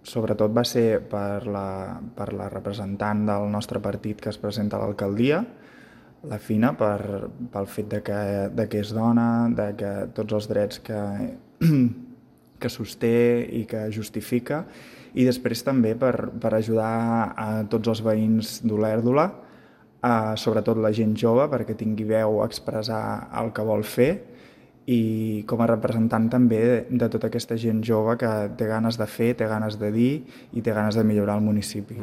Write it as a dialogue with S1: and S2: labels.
S1: sobretot va ser per la representant del nostre partit que es presenta a l'alcaldia, la Fina, pel fet de que és dona, de que tots els drets que sosté i que justifica, i després també per ajudar a tots els veïns d'Olèrdola, sobretot la gent jove, perquè tingui veu a expressar el que vol fer, i com a representant també de tota aquesta gent jove que té ganes de fer, té ganes de dir i té ganes de millorar el municipi.